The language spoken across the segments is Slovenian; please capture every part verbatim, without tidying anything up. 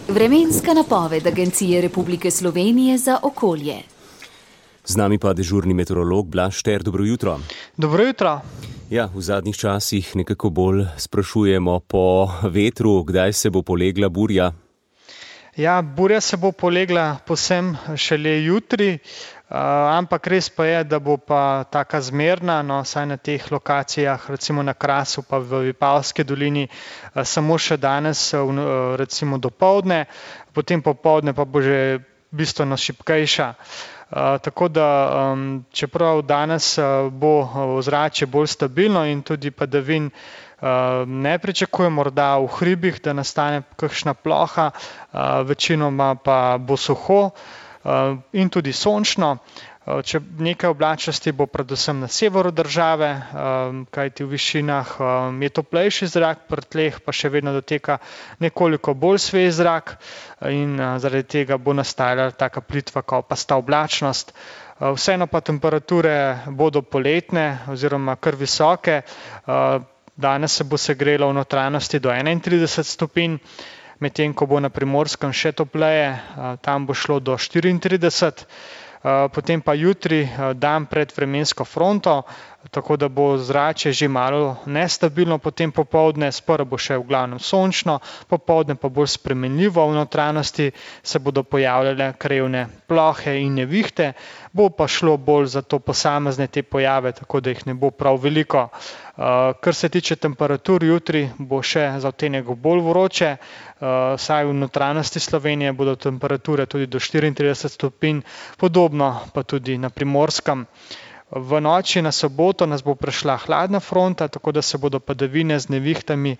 Vremenska napoved Agencije Republike Slovenije za okolje. Z nami pa dežurni meteorolog Blaž Šter. Dobro jutro. Dobro jutro. Ja, v zadnjih časih nekako bolj sprašujemo po vetru, kdaj se bo polegla burja. Ja, burja se bo polegla povsem šele jutri, uh, ampak res pa je, da bo pa taka zmerna, no, saj na teh lokacijah, recimo na Krasu pa v Vipavski dolini, uh, samo še danes, uh, recimo dopoldne, potem popoldne pa bo že bistveno šibkejša. Uh, tako da, um, čeprav danes uh, bo ozračje bolj stabilno in tudi padavin Uh, ne pričakujem morda v hribih, da nastane kakšna ploha, uh, večinoma pa bo suho uh, in tudi sončno. Uh, če nekaj oblačnosti bo predvsem na severu države, uh, kajti v višinah uh, je toplejši zrak, pri tleh pa še vedno doteka nekoliko bolj svež zrak in uh, zaradi tega bo nastajala taka plitva kopasta oblačnost. Uh, vseeno pa temperature bodo poletne oziroma kar visoke. Uh, Danes se bo segrelo v notranjosti do enaintrideset stopinj, medtem ko bo na Primorskem še topleje, tam bo šlo do štiriintrideset, potem pa jutri dan pred vremensko fronto, tako da bo zračje že malo nestabilno, potem popoldne, sprva bo še v glavnem sončno, popoldne pa bolj spremenljivo, v notranjosti se bodo pojavljale krajevne plohe in nevihte, bo pa šlo bolj za to posamezne te pojave, tako da jih ne bo prav veliko. Uh, kar se tiče temperatur, jutri bo še za odtenek bolj vroče, uh, saj v notranjosti Slovenije bodo temperature tudi do štiriintrideset stopinj, podobno pa tudi na Primorskem. V noči na soboto nas bo prešla hladna fronta, tako da se bodo padavine z nevihtami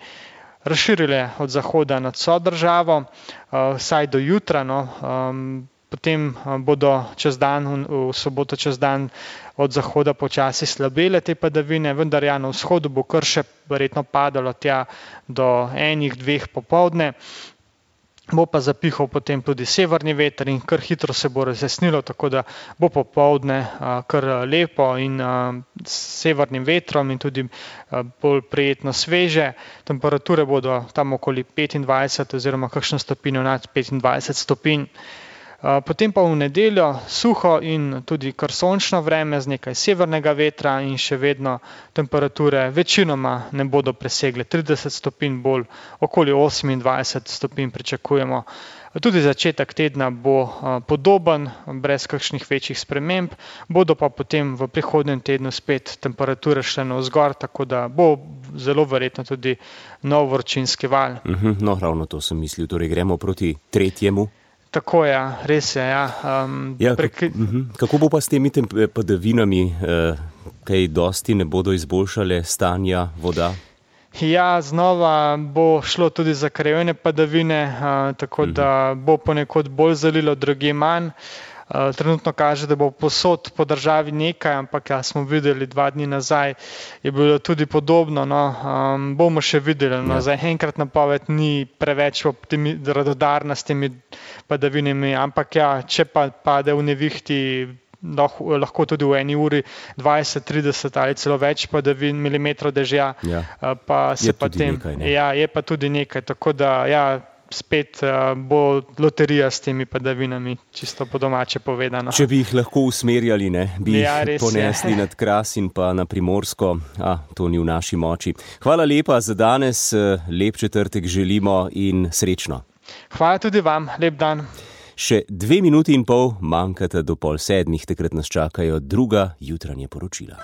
razširile od zahoda nad vso državo, uh, saj do jutra, no, um, potem bodo čez dan, v soboto čez dan od zahoda počasi slabele te padavine, vendar ja, na vzhodu bo kar še verjetno padalo tja do enih, dveh popoldne. Bo pa zapihal potem tudi severni veter in kar hitro se bo razjasnilo, tako da bo popoldne kar lepo in s severnim vetrom in tudi bolj prijetno sveže. Temperature bodo tam okoli petindvajset oziroma kakšno stopinjo nad petindvajset stopinj. Potem pa v nedeljo suho in tudi kar sončno vreme z nekaj severnega vetra in še vedno temperature večinoma ne bodo presegle trideset stopinj, bolj okoli osemindvajset stopinj pričakujemo. Tudi začetek tedna bo podoben, brez kakšnih večjih sprememb, bodo pa potem v prihodnjem tednu spet temperature šle navzgor, tako da bo zelo verjetno tudi nov vročinski val. Mhm, no, ravno to sem mislil, torej gremo proti tretjemu. Tako je, res je. Ja. Um, ja, prek... Kako bo pa s temi padavinami, eh, kaj dosti ne bodo izboljšale stanja voda? Ja, znova bo šlo tudi za krajevne padavine, uh, tako uh-huh. da bo ponekod bolj zalilo, drugje manj. Uh, trenutno kaže, da bo posod po državi nekaj, ampak ja, smo videli dva dni nazaj, je bilo tudi podobno. No, um, bomo še videli. No, ja. Za enkrat napoved ni preveč optimi, radodarna s temi padavinami, ampak ja, če pa pade v nevihti, lahko, lahko tudi v eni uri dvajset, trideset ali celo več padavin, milimetrov dežja, ja. uh, pa se je pa tudi tem, nekaj, ne? Ja, je pa tudi nekaj, tako da ja, spet uh, bo loterija s temi padavinami, čisto po domače povedano. Če bi jih lahko usmerjali, ne, bi ja, jih ponesli nad Kras in pa na Primorsko, a to ni v naši moči. Hvala lepa za danes, lep četrtek želimo in srečno. Hvala tudi vam, lep dan. Še dve minuti in pol manjkata do pol sedmih, takrat nas čakajo druga jutranja poročila.